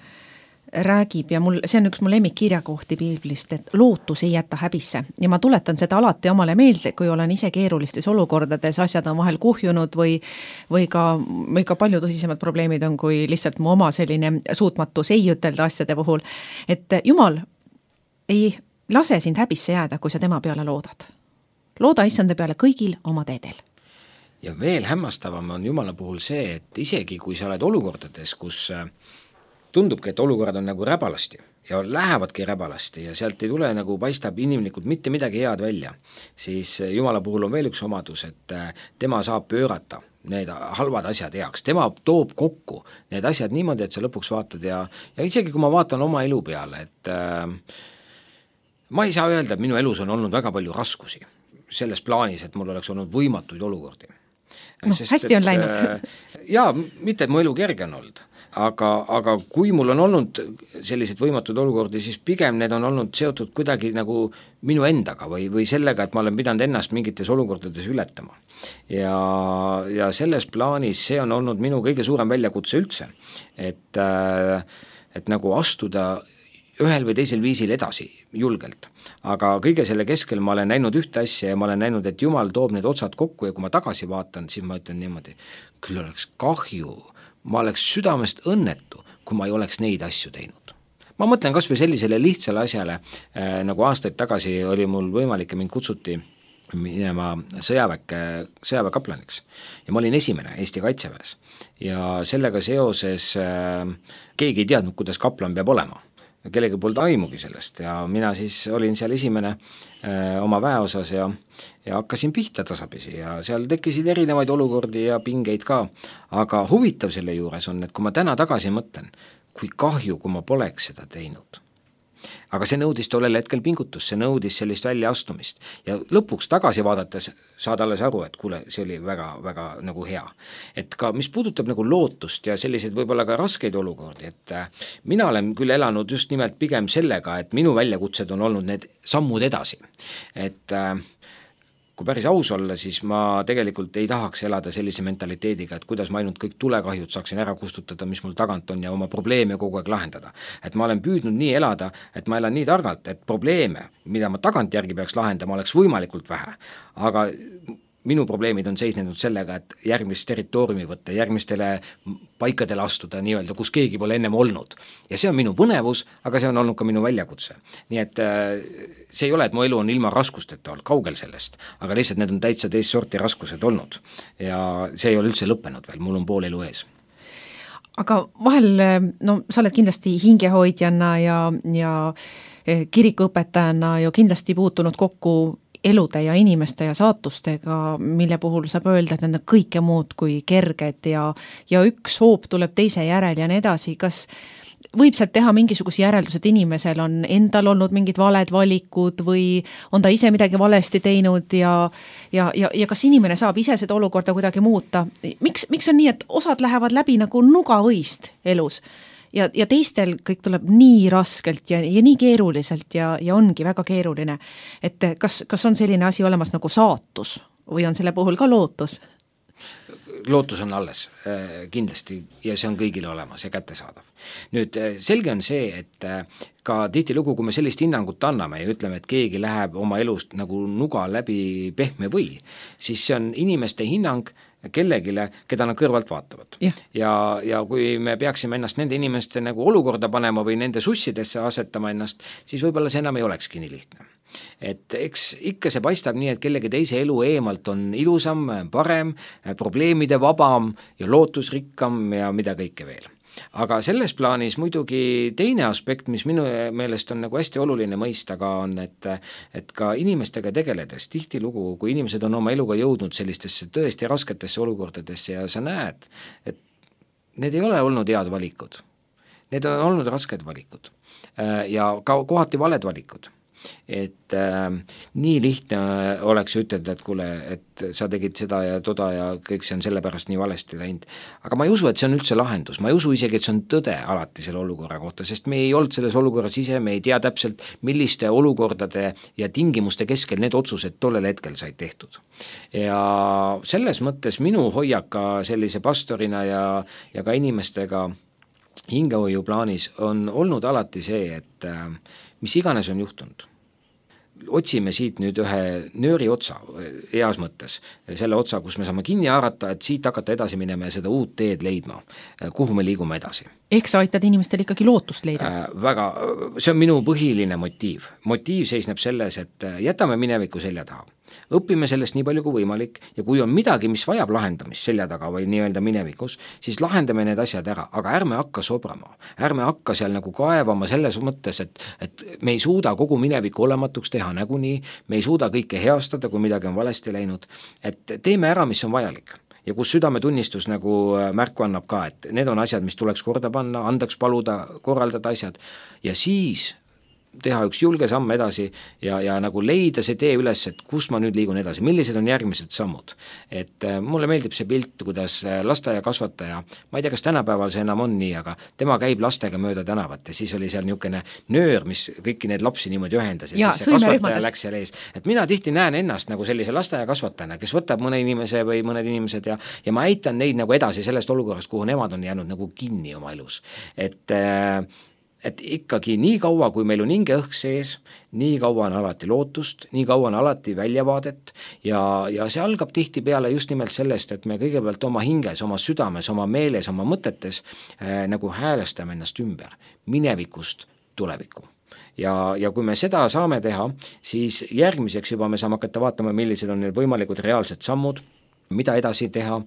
räägib ja mul, see on üks mu lemmikkirjakohti Piiblist, et lootus ei jäta häbisse ja ma tuletan seda alati omale meelde, kui olen ise keerulistes olukordades, asjad on vahel kuhjunud või, või, ka, või ka palju tõsisemad probleemid on, kui lihtsalt mu oma selline suutmatus ei ütelda asjade puhul, et Jumal ei lase sind häbisse jääda, kui sa tema peale loodad. Looda issanda peale kõigil oma teedel. Ja veel hämmastavam on Jumala puhul see, et isegi kui sa oled olukordades, kus tundubki, et olukorrad on nagu räbalasti ja lähevadki räbalasti ja sealt ei tule nagu paistab inimlikult mitte midagi head välja, siis Jumala puhul on veel üks omadus, et tema saab pöörata need halvad asjad heaks, tema toob kokku need asjad niimoodi, et sa lõpuks vaatad ja, ja isegi kui ma vaatan oma elu peale, et äh, ma ei saa öelda, et minu elus on olnud väga palju raskusi selles plaanis, et mul oleks olnud võimatuid olukordi. No, Sest, hästi on et, läinud. Jaa, mitte et mu elu kerge on olnud, aga, aga kui mul on olnud sellised võimatud olukordi, siis pigem need on olnud seotud kuidagi nagu minu endaga või, või sellega, et ma olen pidanud ennast mingites olukordades ületama. Ja, ja selles plaanis see on olnud minu kõige suurem väljakutse üldse, et, et nagu astuda ühel või teisel viisil edasi, julgelt. Aga kõige selle keskel ma olen näinud ühte asja ja ma olen näinud, et Jumal toob need otsad kokku ja kui ma tagasi vaatan, siis ma ütlen niimoodi, küll oleks kahju, ma oleks südamest õnnetu, kui ma ei oleks neid asju teinud. Ma mõtlen kas või sellisele lihtsale asjale, äh, nagu aastaid tagasi oli mul võimalik ja mind kutsuti minema sõjaväkke, sõjaväekaplaniks ja ma olin esimene Eesti Kaitseväes ja sellega seoses äh, keegi ei teadnud, kuidas kaplan peab olema. Kellegi polnud aimugi sellest ja mina siis olin seal esimene öö, oma väeosas ja, ja hakkasin pihta tasapisi ja seal tekkisid erinevaid olukordi ja pingeid ka, aga huvitav selle juures on, et kui ma täna tagasi mõtlen, kui kahju, kui ma poleks seda teinud. Aga see nõudis tollel hetkel pingutus, see nõudis sellist väljaastumist ja lõpuks tagasi vaadates saad alles aru, et kuule, see oli väga, väga nagu hea. Et ka mis puudutab nagu lootust ja selliseid võib-olla ka raskeid olukordi, et mina olen küll elanud just nimelt pigem sellega, et minu väljakutsed on olnud need sammud edasi. Et kui päris aus olla, siis ma tegelikult ei tahaks elada sellise mentaliteediga, et kuidas ma ainult kõik tulekahjud saaksin ära kustutada, mis mul tagant on ja oma probleeme kogu aeg lahendada. Et ma olen püüdnud nii elada, et ma elan nii targalt, et probleeme, mida ma tagant järgi peaks lahendama, oleks võimalikult vähe. Aga minu probleemid on seisnenud sellega, et järgmist territooriumi võtta, järgmistele paikadele astuda nii-öelda, kus keegi pole ennem olnud. Ja see on minu põnevus, aga see on olnud ka minu väljakutse. Nii et see ei ole, et mu elu on ilma raskusteta olnud, kaugel sellest, aga lihtsalt need on täitsa teist sorti raskused olnud. Ja see ei ole üldse lõppenud veel, mul on pool elu ees. Aga vahel, no sa oled kindlasti hingehoidjana ja, ja kirikuõpetajana ju kindlasti puutunud kokku elude ja inimeste ja saatustega, mille puhul saab öelda, et need on kõike muud kui kerged ja, ja üks hoop tuleb teise järel ja nii edasi. Kas võib sealt teha mingisuguse järeldus, et inimesel on endal olnud mingid valed valikud või on ta ise midagi valesti teinud ja, ja, ja, ja kas inimene saab ise seda olukorda kuidagi muuta? Miks, miks on nii, et osad lähevad läbi nagu nugavõist elus ja, ja teistel kõik tuleb nii raskelt ja, ja nii keeruliselt ja, ja ongi väga keeruline. Et kas, kas on selline asi olemas nagu saatus või on selle puhul ka lootus? Lootus on alles kindlasti ja see on kõigile olemas ja kättesaadav. Nüüd selge on see, et ka tihtilugu, kui me sellist hinnangut anname ja ütleme, et keegi läheb oma elust nagu nuga läbi pehme või, siis see on inimeste hinnang kellegile, keda nad kõrvalt vaatavad. Ja, ja, ja kui me peaksime ennast nende inimeste nagu olukorda panema või nende sussidesse asetama ennast, siis võib-olla see enam ei olekski nii lihtne. Et eks ikka see paistab nii, et kellegi teise elu eemalt on ilusam, parem, probleemide vabam ja lootusrikkam ja mida kõike veel. Aga selles plaanis muidugi teine aspekt, mis minu meelest on nagu hästi oluline mõista ka on, et, et ka inimestega tegeledes tihtilugu, kui inimesed on oma eluga jõudnud sellistesse tõesti rasketesse olukordadesse ja sa näed, et need ei ole olnud head valikud. Need on olnud rasked valikud ja ka kohati valed valikud. Et äh, nii lihtne oleks ütelda, et kuule, et sa tegid seda ja toda ja kõik see on sellepärast nii valesti läinud. Aga ma ei usu, et see on üldse lahendus, ma ei usu isegi, et see on tõde alati selle olukorra kohta, sest me ei olnud selles olukorras ise, me ei tea täpselt, milliste olukordade ja tingimuste keskel need otsused tollel hetkel said tehtud. Ja selles mõttes minu hoiak ka sellise pastorina ja, ja ka inimestega hingehoiu plaanis on olnud alati see, et äh, mis iganes on juhtunud. Otsime siit nüüd ühe nööri otsa, heas mõttes, selle otsa, kus me saame kinni haarata, et siit hakata edasi minema ja seda uut teed leidma, kuhu me liigume edasi. Ehk sa aitad inimestel ikkagi lootust leida? Äh, väga, see on minu põhiline motiiv. Motiiv seisneb selles, et jätame mineviku selja taha. Õpime sellest nii palju kui võimalik ja kui on midagi, mis vajab lahendamist selja taga või nii-öelda minevikus, siis lahendame need asjad ära, aga ärme hakka sobrama. Ärme hakka seal nagu kaevama selles mõttes, et, et me ei suuda kogu mineviku olematuks teha näguni, me ei suuda kõike heastada, kui midagi on valesti läinud, et teeme ära, mis on vajalik. Ja kus südametunnistus nagu märku annab ka, et need on asjad, mis tuleks korda panna, andaks paluda, korraldada asjad ja siis teha üks julge samm edasi ja, ja nagu leida see tee üles, et kus ma nüüd liigun edasi, millised on järgmised sammud. Et äh, mulle meeldib see pilt, kuidas lasteaia kasvataja, ma ei tea, kas tänapäeval see enam on nii, aga tema käib lastega mööda tänavat ja siis oli seal niisugune nöör, mis kõiki need lapsi niimoodi ühendas ja, ja siis see kasvataja läks seal ees. Et mina tihti näen ennast nagu sellise lasteaia kasvatajana, kes võtab mõne inimese või mõned inimesed ja, ja ma aitan neid nagu edasi sellest olukorrast, kuhu nemad on jäänud nagu kinni oma elus. Et äh, et ikkagi nii kaua, kui meil on hingeõhk sees, nii kaua on alati lootust, nii kaua on alati väljavaadet ja, ja see algab tihti peale just nimelt sellest, et me kõigepealt oma hinges, oma südames, oma meeles, oma mõtetes äh, nagu häälestame ennast ümber minevikust tulevikku. Ja, ja kui me seda saame teha, siis järgmiseks juba me saame hakata vaatama, millised on need võimalikud reaalsed sammud, mida edasi teha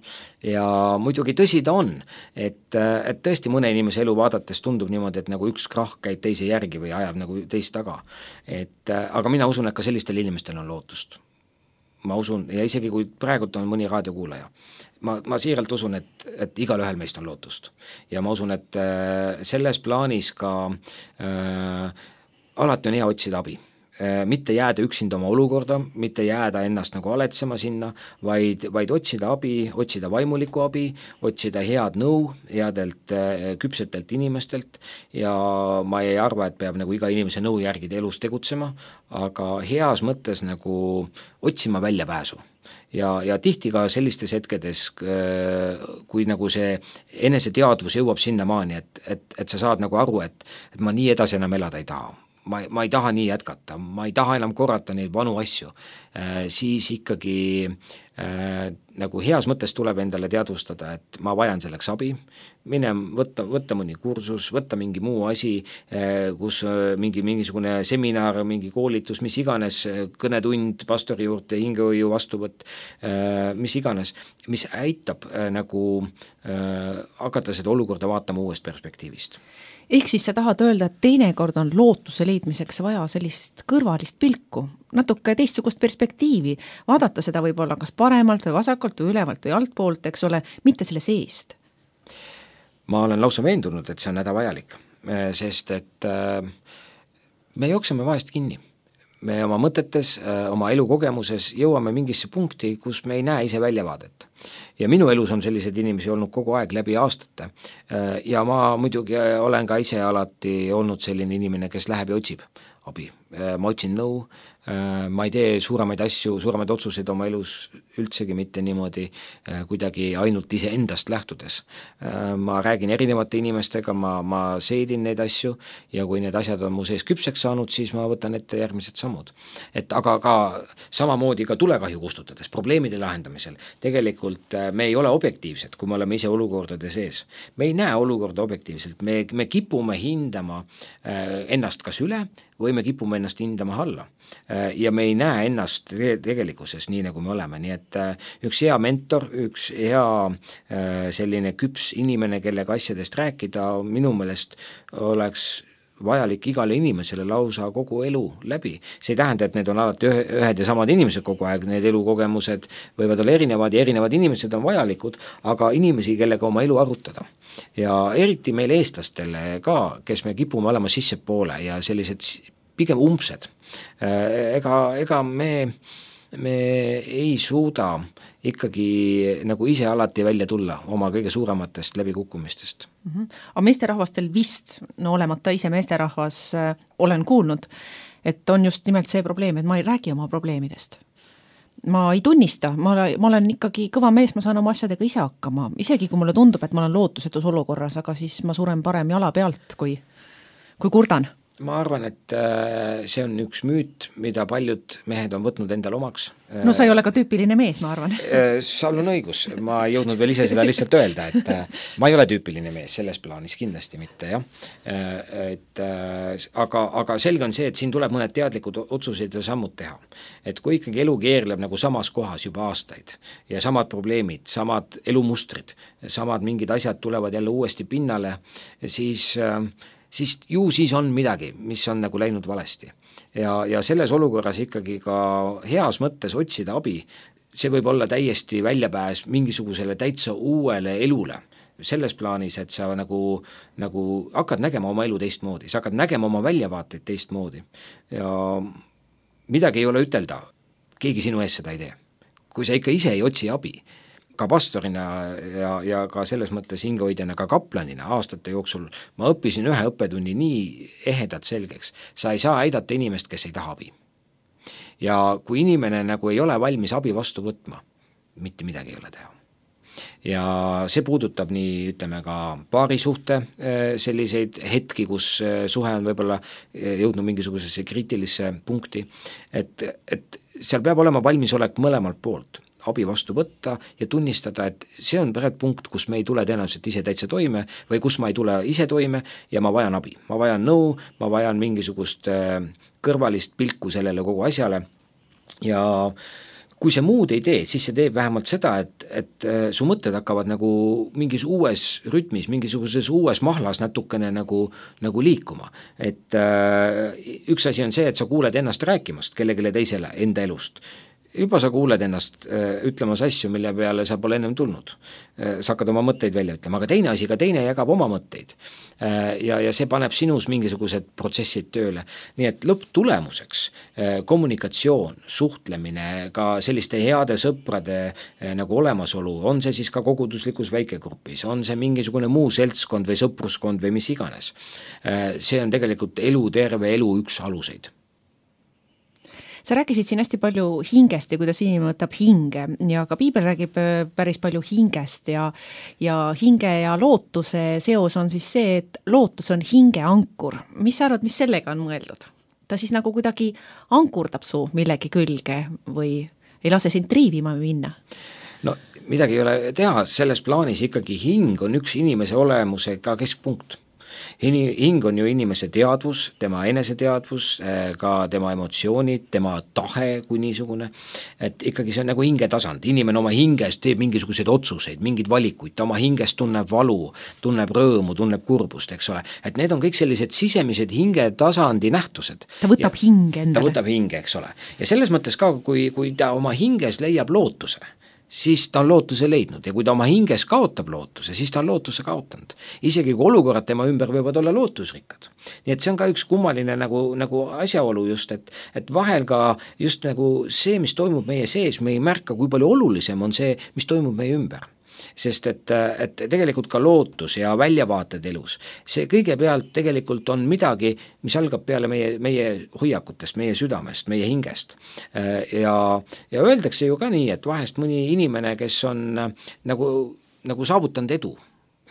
ja muidugi tõsi ta on, et, et tõesti mõne inimese elu vaadates tundub niimoodi, et nagu üks krahh käib teise järgi või ajab nagu teist taga. Et, aga mina usun, et ka sellistel inimestel on lootust. Ma usun, ja isegi kui praegult on mõni raadiokuulaja, ma, ma siiralt usun, et, et igal ühel meist on lootust. Ja ma usun, et äh, selles plaanis ka äh, alati on hea otsida abi. Mitte jääda üksinda oma olukorda, mitte jääda ennast nagu aletsema sinna, vaid, vaid otsida abi, otsida vaimulikku abi, otsida head nõu headelt küpsetelt inimestelt ja ma ei arva, et peab nagu iga inimese nõu järgida elus tegutsema, aga heas mõttes nagu otsima välja pääsu. Ja, ja tihti ka sellistes hetkedes, kui nagu see eneseteadvus jõuab sinna maani, et, et, et sa saad nagu aru, et, et ma nii edasi enam elada ei taha. Ma, ma ei taha nii jätkata, ma ei taha enam korrata neid vanu asju, äh, siis ikkagi äh, nagu heas mõttes tuleb endale teadvustada, et ma vajan selleks abi, mine võtta, võtta mõni kursus, võtta mingi muu asi, äh, kus äh, mingi, mingisugune seminar, mingi koolitus, mis iganes, kõnetund pastori juurde, hingehoiu vastuvõtt, äh, mis iganes, mis aitab äh, nagu äh, hakata seda olukorda vaatama uuest perspektiivist. Ehk siis sa tahad öelda, et teinekord on lootuse leidmiseks vaja sellist kõrvalist pilku, natuke teistsugust perspektiivi, vaadata seda võib-olla kas paremalt või vasakult või ülevalt või altpoolt, eks ole, mitte selle seest. Ma olen lausa veendunud, et see on hädavajalik, sest et me jookseme vahest kinni. me oma mõtetes, oma elukogemuses jõuame mingisse punkti, kus me ei näe ise väljavaadet. Ja minu elus on sellised inimesi olnud kogu aeg läbi aastate ja ma muidugi olen ka ise alati olnud selline inimene, kes läheb ja otsib abi. Ma otsin nõu, ma ei tee suuremaid asju, suuremaid otsuseid oma elus üldsegi mitte niimoodi kuidagi ainult ise endast lähtudes. Ma räägin erinevate inimestega, ma, ma seedin neid asju ja kui need asjad on mu sees küpseks saanud, siis ma võtan ette järgmised sammud. Et aga ka samamoodi ka tulekahju kustutades, probleemide lahendamisel, tegelikult me ei ole objektiivsed, kui me oleme ise olukordade sees. Me ei näe olukorda objektiivselt, me, me kipume hindama ennast kas üle või me kipume ennast hindama alla. Ja me ei näe ennast tegelikkuses nii, nagu me oleme. Nii et üks hea mentor, üks hea selline küps inimene, kellega asjadest rääkida, minu meelest oleks vajalik igale inimesele lausa kogu elu läbi. See ei tähenda, et need on alati ühed ja samad inimesed kogu aeg, need elukogemused võivad olla erinevad ja erinevad inimesed on vajalikud, aga inimesi, kellega oma elu arutada. Ja eriti meil eestlastele ka, kes me kipume olema sissepoole ja sellised pigem umbsed. Ega, ega me, me ei suuda ikkagi nagu ise alati välja tulla oma kõige suurematest läbikukkumistest. Mm-hmm. Aga meesterahvastel vist, no olemata ise meesterahvas, äh, olen kuulnud, et on just nimelt see probleem, et ma ei räägi oma probleemidest. Ma ei tunnista, ma, ma olen ikkagi kõva mees, ma saan oma asjadega ise hakkama, isegi kui mulle tundub, et ma olen lootusetus olukorras, aga siis ma suren parem jala pealt, kui, kui kurdan. Ma arvan, et see on üks müüt, mida paljud mehed on võtnud endal omaks. No sa ei ole ka tüüpiline mees, ma arvan. Sul on õigus, ma ei jõudnud veel ise seda lihtsalt öelda, et ma ei ole tüüpiline mees, selles plaanis kindlasti mitte, jah. Et, aga, aga selge on see, et siin tuleb mõned teadlikud otsused ja sammud teha. Et kui ikkagi elu keerleb nagu samas kohas juba aastaid ja samad probleemid, samad elumustrid, samad mingid asjad tulevad jälle uuesti pinnale, siis siis ju siis on midagi, mis on nagu läinud valesti. Ja, ja selles olukorras ikkagi ka heas mõttes otsida abi, see võib olla täiesti väljapääs mingisugusele täitsa uuele elule. Selles plaanis, et sa nagu, nagu hakkad nägema oma elu teistmoodi, sa hakkad nägema oma väljavaateid teistmoodi. Ja midagi ei ole ütelda, keegi sinu ees seda ei tee. Kui sa ikka ise ei otsi abi, ka pastorina ja, ja ka selles mõttes hingehoidjana, ka kaplanina aastate jooksul ma õppisin ühe õppetunni nii ehedalt selgeks. Sa ei saa aidata inimest, kes ei taha abi. Ja kui inimene nagu ei ole valmis abi vastu võtma, mitte midagi ei ole teha. Ja see puudutab nii, ütleme ka paarisuhte selliseid hetki, kus suhe on võib-olla jõudnud mingisugusesse kriitilisse punkti, et, et seal peab olema valmisolek mõlemalt poolt abi vastu võtta ja tunnistada, et see on pärast punkt, kus me ei tule tõenäoliselt ise täitsa toime või kus ma ei tule ise toime ja ma vajan abi. Ma vajan nõu, ma vajan mingisugust kõrvalist pilku sellele kogu asjale ja kui see muud ei tee, siis see teeb vähemalt seda, et, et su mõtted hakkavad nagu mingis uues rütmis, mingisuguses uues mahlas natukene nagu, nagu liikuma. Et äh, üks asi on see, et sa kuuled ennast rääkimast kellegile teisele enda elust. Juba sa kuuled ennast äh, ütlemas asju, mille peale sa pole ennem tulnud. Äh, sa hakkad oma mõtteid välja ütlema, aga teine asi, ka teine jagab oma mõtteid. Äh, ja, ja see paneb sinus mingisugused protsessid tööle. Nii et lõpptulemuseks äh, kommunikatsioon, suhtlemine, ka selliste heade sõprade äh, nagu olemasolu, on see siis ka koguduslikus väikegrupis, on see mingisugune muu seltskond või sõpruskond või mis iganes. Äh, see on tegelikult elu, terve elu üks aluseid. Sa rääkisid siin hästi palju hingest ja kuidas inimene võtab hinge ja ka piibel räägib päris palju hingest ja, ja hinge ja lootuse seos on siis see, et lootus on hinge ankur. Mis sa arvad, mis sellega on mõeldud? Ta siis nagu kuidagi ankurdab su millegi külge või ei lase sind triivima minna? No midagi ei ole teha, selles plaanis ikkagi hing on üks inimese olemuse ka keskpunkt. Hing on ju inimese teadvus, tema eneseteadvus, ka tema emotsioonid, tema tahe kui niisugune, et ikkagi see on nagu hingetasand. Inimene oma hingest teeb mingisuguseid otsuseid, mingid valikuid, ta oma hingest tunneb valu, tunneb rõõmu, tunneb kurbust, eks ole. Et need on kõik sellised sisemised hingetasandi nähtused. Ta võtab hinge endale. Ta võtab hinge, eks ole. Ja selles mõttes ka, kui, kui ta oma hinges leiab lootuse, siis ta on lootuse leidnud ja kui ta oma hinges kaotab lootuse, siis ta on lootuse kaotanud. Isegi kui olukorrad tema ümber võivad olla lootusrikkad. Nii et see on ka üks kummaline nagu, nagu asjaolu just, et, et vahel ka just nagu see, mis toimub meie sees, me ei märka, kui palju olulisem on see, mis toimub meie ümber. Sest et, et tegelikult ka lootus ja väljavaated elus, see kõigepealt tegelikult on midagi, mis algab peale meie, meie hoiakutest, meie südamest, meie hingest. Ja, ja öeldakse ju ka nii, et vahest mõni inimene, kes on nagu, nagu saavutanud edu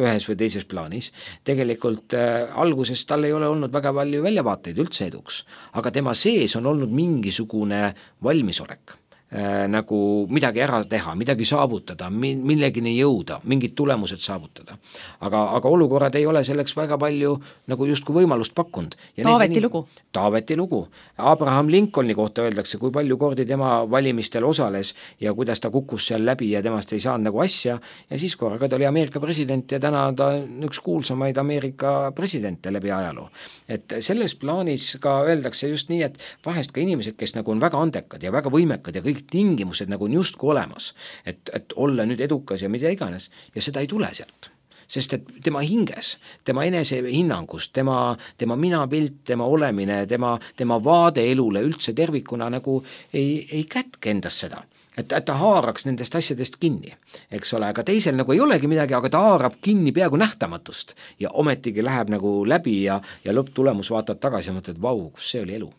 ühes või teises plaanis, tegelikult äh, alguses tal ei ole olnud väga palju väljavaateid üldse eduks, aga tema sees on olnud mingisugune valmisolek. Äh, nagu midagi ära teha, midagi saavutada, millegini jõuda, mingid tulemused saavutada. Aga, aga olukorrad ei ole selleks väga palju nagu justkui võimalust pakkunud. Taaveti lugu. Taaveti lugu. Abraham Lincolni kohta öeldakse, kui palju kordi tema valimistel osales ja kuidas ta kukkus seal läbi ja temast ei saanud nagu asja ja siis korraga ta oli Ameerika president ja täna ta on üks kuulsamaid Ameerika presidente läbi ajaloo. Et selles plaanis ka öeldakse just nii, et vahest ka inimesed, kes nagu on väga andekad ja väga võimekad ja kõik tingimused nagu on justku olemas, et, et olla nüüd edukas ja mida iganes ja seda ei tule sealt. Sest et tema hinges, tema enesehinnangus, tema, tema minapilt, tema olemine, tema, tema vaade elule üldse tervikuna nagu ei, ei kätke endas seda. Et, et ta haaraks nendest asjadest kinni, eks ole, aga teisel nagu ei olegi midagi, aga ta haarab kinni peaaegu nähtamatust ja ometigi läheb nagu läbi ja, ja lõpptulemus vaatad tagasi ja mõtled, vau, kus see oli elu.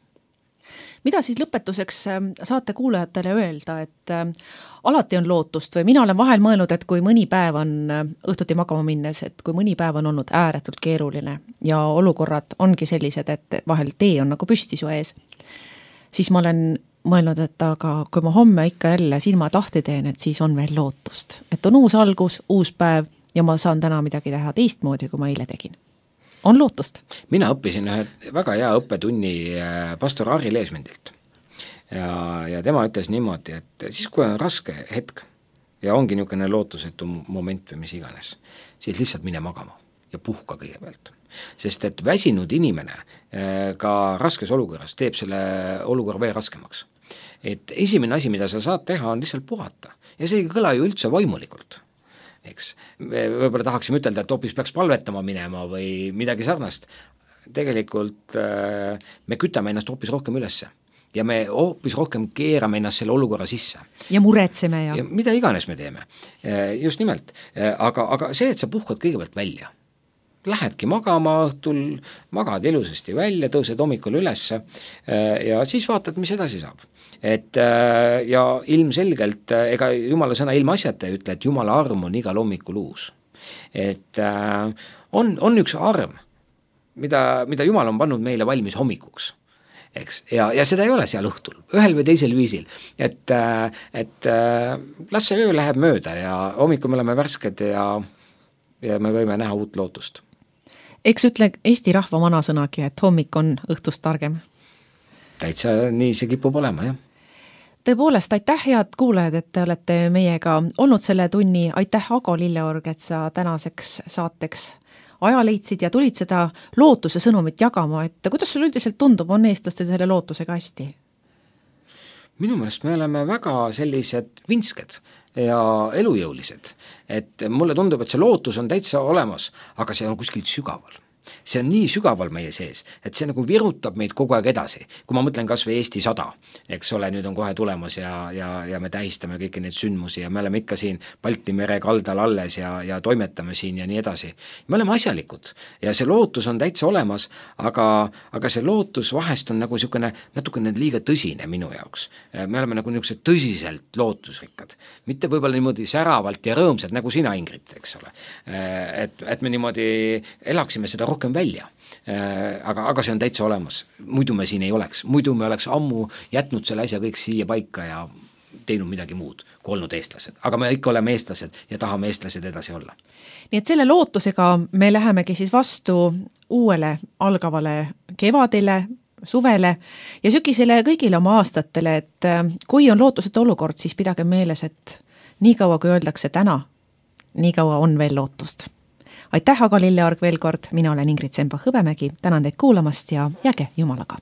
Mida siis lõpetuseks saate kuulajatele öelda, et äh, alati on lootust või mina olen vahel mõelnud, et kui mõni päev on õhtuti magama minnes, et kui mõni päev on olnud ääretult keeruline ja olukorrad ongi sellised, et vahel tee on nagu püsti su ees, siis ma olen mõelnud, et aga kui ma homme ikka jälle silmad lahti teen, et siis on veel lootust. Et on uus algus, uus päev ja ma saan täna midagi teha teistmoodi, kui ma eile tegin. On lootust? Mina õppisin ühe väga hea õppetunni pastor Harri Leesmendilt ja, ja tema ütles niimoodi, et siis kui on raske hetk ja ongi niisugune lootusetu moment või mis iganes, siis lihtsalt mine magama ja puhka kõigepealt. Sest et väsinud inimene ka raskes olukorras teeb selle olukorra veel raskemaks. Et esimene asi, mida sa saad teha, on lihtsalt puhata ja see ei kõla ju üldse vaimulikult. Eks. Me võib-olla tahaksime ütelda, et hoopis peaks palvetama minema või midagi sarnast. Tegelikult äh, me kütame ennast hoopis rohkem ülesse ja me hoopis rohkem keerame ennast selle olukorra sisse. Ja muretseme ja... ja mida iganes me teeme. Just nimelt. Aga, aga see, et sa puhkad kõigepealt välja. Lähedki magama õhtul, magad ilusasti välja, tõused hommikul ülesse ja siis vaatad, mis edasi saab. Et ja ilmselgelt, ega Jumala sõna ilma asjata ei ütle, et Jumala arm on igal hommikul uus. Et on, on üks arm, mida, mida Jumal on pannud meile valmis hommikuks. Eks? Ja, ja seda ei ole seal õhtul, ühel või teisel viisil. Et, et las see öö läheb mööda ja hommikul me oleme värsked ja, ja me võime näha uut lootust. Eks ütle Eesti rahva vanasõnagi, et hommik on õhtust targem. Täitsa nii see kipub olema, jah. Tõepoolest, aitäh head kuulajad, et te olete meiega olnud selle tunni. Aitäh, Ago Lilleorg, et sa tänaseks saateks aja leidsid ja tulid seda lootuse sõnumit jagama. Et kuidas sul üldiselt tundub, on eestlastel selle lootusega hästi? Minu meelest me oleme väga sellised vinsked ja elujõulised, et mulle tundub, et see lootus on täitsa olemas, aga see on kuskilt sügaval. See on nii sügaval meie sees, et see nagu virutab meid kogu aeg edasi. Kui ma mõtlen kas või Eesti sada, eks ole, nüüd on kohe tulemas ja, ja, ja me tähistame kõiki neid sündmusi ja me oleme ikka siin Balti mere kaldal alles ja, ja toimetame siin ja nii edasi. Me oleme asjalikud ja see lootus on täitsa olemas, aga, aga see lootus vahest on nagu niisugune natukene liiga tõsine minu jaoks. Me oleme nagu niisugused tõsiselt lootusrikkad, mitte võib-olla niimoodi säravalt ja rõõmsad nagu sina, Ingrid, eks ole. Et, et me niimoodi elaksime seda rohkem välja, aga, aga see on täitsa olemas, muidu me siin ei oleks, muidu me oleks ammu jätnud selle asja kõik siia paika ja teinud midagi muud kui olnud eestlased, aga me ikka oleme eestlased ja tahame eestlased edasi olla. Nii et selle lootusega me lähemegi siis vastu uuele algavale kevadele, suvele ja sügisele kõigile oma aastatele, et kui on lootusetu olukord, siis pidage meeles, et nii kaua kui öeldakse täna, nii kaua on veel lootust. Aitäh, Ago Lilleorg veel kord, mina olen Ingrid Semba-Hõbemägi, tänan teid kuulamast ja jääge Jumalaga.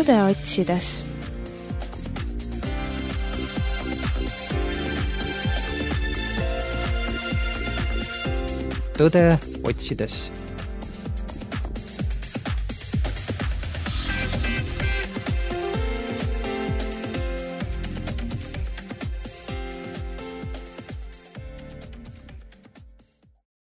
tõde otsides. Tõde otsides.